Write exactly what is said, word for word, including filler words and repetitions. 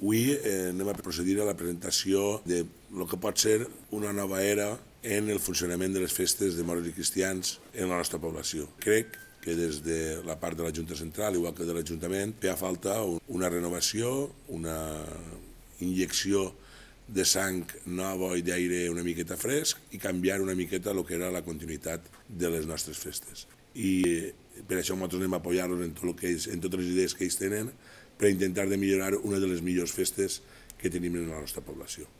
Avui eh, anem a procedir a la presentació de el que pot ser una nova era en el funcionament de les festes de moros i cristians en la nostra població. Crec que des de la part de la Junta Central, igual que de l'Ajuntament, feia falta una renovació, una injecció de sang nova i d'aire una miqueta fresc i canviar una miqueta el que era la continuïtat de les nostres festes. I per això nosaltres anem a apoyar-los en, tot que ells, en totes les idees que ells tenen per intentar de millorar una de les millors festes que tenim en la nostra població.